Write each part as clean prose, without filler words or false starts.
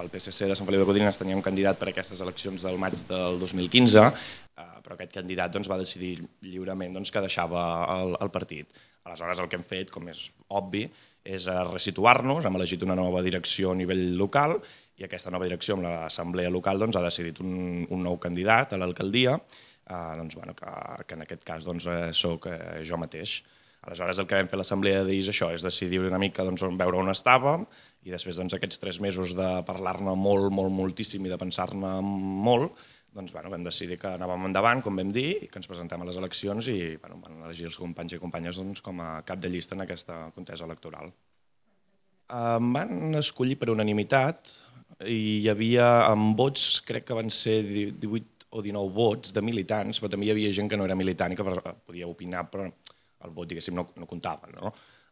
El PSC de Sant Feliu de Codines tenia un candidat per a aquestes eleccions del maig del 2015, però aquest candidat va decidir lliurement que deixava el partit. Aleshores, el que hem fet, com és obvi, és resituar-nos, hem elegit una nova direcció a nivell local i aquesta nova direcció amb l'assemblea local ha decidit un nou candidat a l'alcaldia, que en aquest cas soc jo mateix. Aleshores, el que vam fer a l'assemblea d'ahir és això, és decidir una mica veure on estàvem i després aquests 3 mesos de parlar-ne moltíssim i de pensar-ne molt, vam decidir que anàvem endavant, com vam dir, i que ens presentem a les eleccions i van elegir els companys i companyes com a cap de llista en aquesta contesa electoral. Van escollir per unanimitat i hi havia en vots, crec que van ser 18 o 19 vots de militants, però també hi havia gent que no era militant i que podia opinar, però el vot, diguéssim, no comptava, no?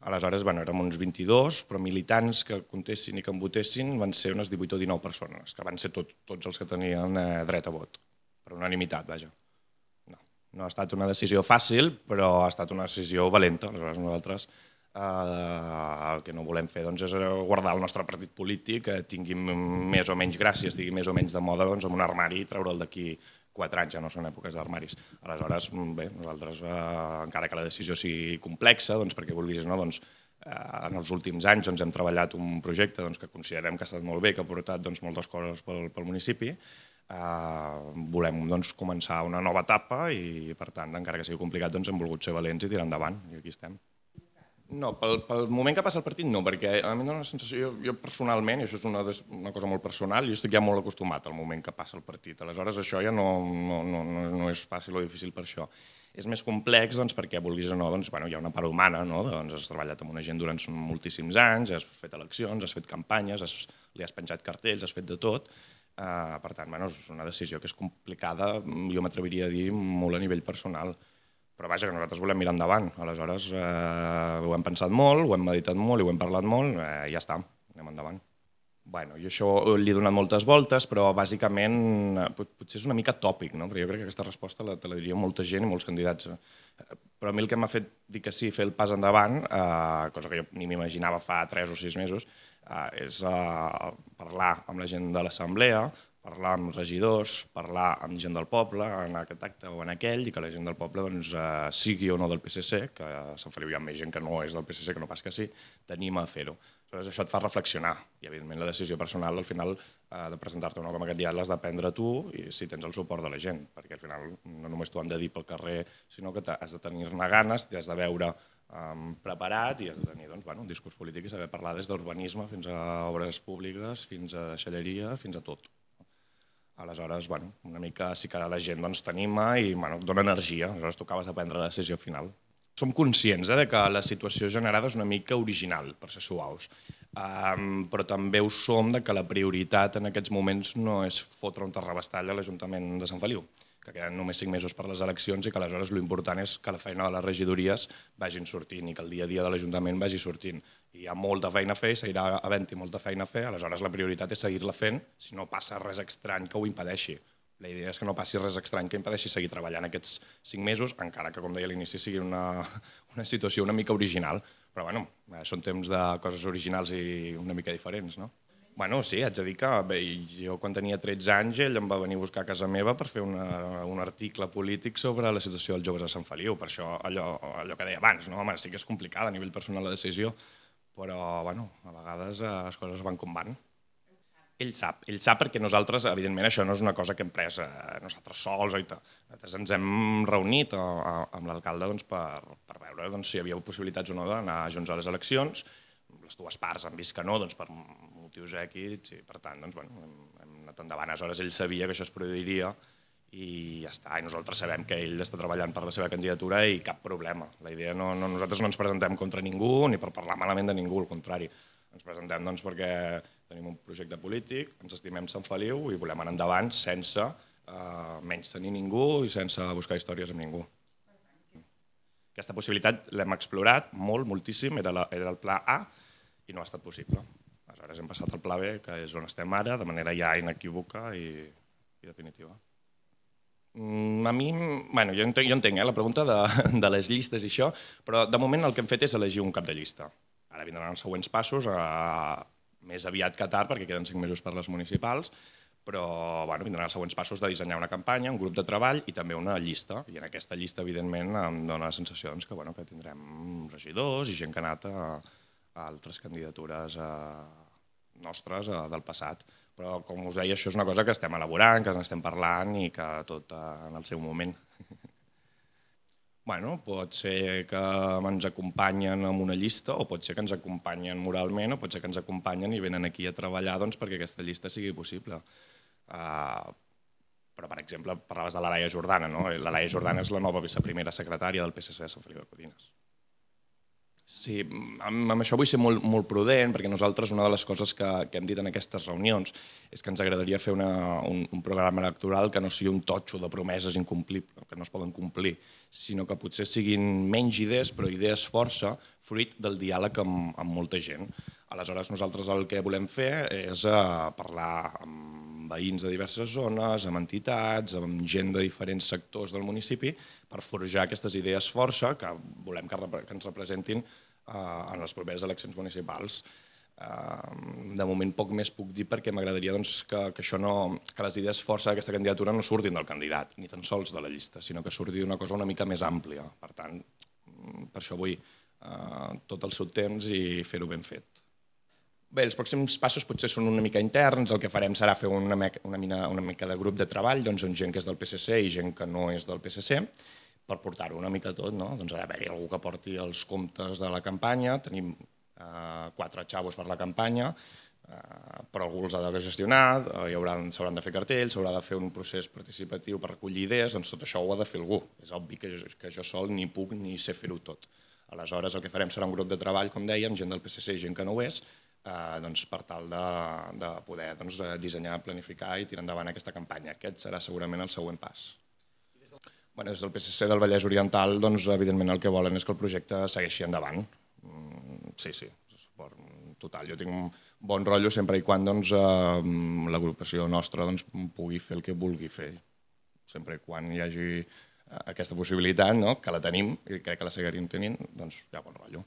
Aleshores, érem uns 22, però militants que comptessin i que en votessin van ser unes 18 o 19 persones, que van ser tots els que tenien dret a vot, per unanimitat, vaja. No ha estat una decisió fàcil, però ha estat una decisió valenta. Aleshores, nosaltres el que no volem fer és guardar el nostre partit polític, que tingui més o menys gràcia, estigui més o menys de moda en un armari i treure'l d'aquí 4 anys, ja no són èpoques d'armaris. Aleshores, bé, nosaltres, encara que la decisió sigui complexa, perquè vulguis o no, en els últims anys hem treballat un projecte que considerem que ha estat molt bé, que ha portat moltes coses pel municipi, volem començar una nova etapa i, per tant, encara que sigui complicat, hem volgut ser valents i tirar endavant, i aquí estem. No, pel moment que passa el partit no, perquè a mi em dóna la sensació, jo personalment, i això és una cosa molt personal, jo estic ja molt acostumat al moment que passa el partit. Aleshores, això ja no és fàcil o difícil per això. És més complex perquè, vulguis o no, hi ha una part humana, has treballat amb una gent durant moltíssims anys, has fet eleccions, has fet campanyes, li has penjat cartells, has fet de tot. Per tant, és una decisió que és complicada, jo m'atreviria a dir, molt a nivell personal. Però vaja, que nosaltres volem mirar endavant. Aleshores, ho hem pensat molt, ho hem meditat molt i ho hem parlat molt, i ja està, anem endavant. Bueno, jo això li he donat moltes voltes, però bàsicament potser és una mica tòpic, no? Perquè jo crec que aquesta resposta te la diria molta gent i molts candidats. Però a mi el que m'ha fet dir que sí, fer el pas endavant, cosa que jo ni m'imaginava fa 3 o 6 mesos, és parlar amb la gent de l'assemblea, parlar amb regidors, parlar amb gent del poble en aquest acte o en aquell, i que la gent del poble sigui o no del PSC, que a Sant Feliu hi ha més gent que no és del PSC, que no pas que sí, t'anima a fer-ho. Aleshores, això et fa reflexionar i, evidentment, la decisió personal, al final, de presentar-te o no com a candidat l'has de prendre tu i si tens el suport de la gent, perquè al final no només t'ho han de dir pel carrer, sinó que has de tenir-ne ganes, t'has de veure preparat i has de tenir un discurs polític i saber parlar des d'urbanisme fins a obres públiques, fins a deixalleria, fins a tot. Aleshores, una mica sí que la gent t'anima i dona energia, aleshores tu acabes de prendre la decisió final. Som conscients que la situació generada és una mica original, per ser suaus, però també ho som que la prioritat en aquests moments no és fotre un terrabastall a l'Ajuntament de Sant Feliu, que queden només 5 mesos per les eleccions i que aleshores l'important és que la feina de les regidories vagin sortint i que el dia a dia de l'Ajuntament vagi sortint. Hi ha molta feina a fer, seguirà havent-hi molta feina a fer, aleshores la prioritat és seguir-la fent si no passa res estrany que ho impedeixi. La idea és que no passi res estrany que impedeixi seguir treballant aquests 5 mesos, encara que, com deia a l'inici, sigui una situació una mica original. Però, són temps de coses originals i una mica diferents, no? Sí, haig de dir que jo quan tenia 13 anys ell em va venir a buscar a casa meva per fer un article polític sobre la situació dels joves a Sant Feliu. Per això allò que deia abans, no? Home, sí que és complicada a nivell personal la decisió, però a vegades les coses van com van. Ell sap perquè nosaltres, evidentment, això no és una cosa que hem pres nosaltres sols. Nosaltres ens hem reunit amb l'alcalde per veure si hi havia possibilitats o no d'anar junts a les eleccions. Les dues parts han vist que no, per motius èquids, i per tant hem anat endavant. Aleshores ell sabia que això es produiria i ja està. I nosaltres sabem que ell està treballant per la seva candidatura i cap problema. La idea nosaltres no ens presentem contra ningú ni per parlar malament de ningú, al contrari. Ens presentem perquè tenim un projecte polític, ens estimem Sant Feliu i volem anar endavant sense menys tenir ningú i sense buscar històries amb ningú. Aquesta possibilitat l'hem explorat moltíssim, era el pla A i no ha estat possible. Aleshores hem passat al pla B, que és on estem ara, de manera ja inequívoca i definitiva. A mi, jo entenc la pregunta de les llistes i això, però de moment el que hem fet és elegir un cap de llista. Ara vindran els següents passos, més aviat que tard, perquè queden 5 mesos per les municipals, però bueno, vindran els següents passos de dissenyar una campanya, un grup de treball i també una llista. I en aquesta llista, evidentment, em dóna la sensació que, bueno, que tindrem regidors i gent que ha anat a altres candidatures nostres del passat. Però, com us deia, això és una cosa que estem elaborant, que n'estem parlant i que tot en el seu moment. Bueno, pot ser que ens acompanyen amb una llista o pot ser que ens acompanyen moralment o pot ser que ens acompanyen i venen aquí a treballar doncs, perquè aquesta llista sigui possible. Però, per exemple, parlaves de la Laia Jordana, no? La Laia Jordana és la nova viceprimera secretària del PSC de Sant Feliu de Codines. Sí, amb això vull ser molt prudent, perquè nosaltres una de les coses que hem dit en aquestes reunions és que ens agradaria fer un programa electoral que no sigui un totxo de promeses incomplibles, que no es poden complir, sinó que potser siguin menys idees, però idees força, fruit del diàleg amb molta gent. Aleshores, nosaltres el que volem fer és parlar amb veïns de diverses zones, amb entitats, amb gent de diferents sectors del municipi, per forjar aquestes idees força que volem que ens representin en les properes eleccions municipals. De moment poc més puc dir perquè m'agradaria que les idees força d'aquesta candidatura no surtin del candidat, ni tan sols de la llista, sinó que surti d'una cosa una mica més àmplia. Per tant, per això vull tot el seu temps i fer-ho ben fet. Bé, els pròxims passos potser són una mica interns, el que farem serà fer una mica de grup de treball amb gent que és del PSC i gent que no és del PSC, per portar-ho una mica tot, no? Doncs ha d'haver-hi algú que porti els comptes de la campanya, tenim 4 xavos per la campanya, però algú els ha de gestionar, s'hauran de fer cartells, s'haurà de fer un procés participatiu per recollir idees, doncs tot això ho ha de fer algú. És obvi que jo sol ni puc ni sé fer-ho tot. Aleshores, el que farem serà un grup de treball, com dèiem, gent del PSC i gent que no ho és, per tal de poder dissenyar, planificar i tirar endavant aquesta campanya. Aquest serà segurament el següent pas. Des del PSC del Vallès Oriental, evidentment el que volen és que el projecte segueixi endavant. Sí, suport total. Jo tinc un bon rotllo sempre i quan l'agrupació nostra pugui fer el que vulgui fer. Sempre i quan hi hagi aquesta possibilitat, que la tenim i crec que la seguiríem tenint, doncs hi ha bon rotllo.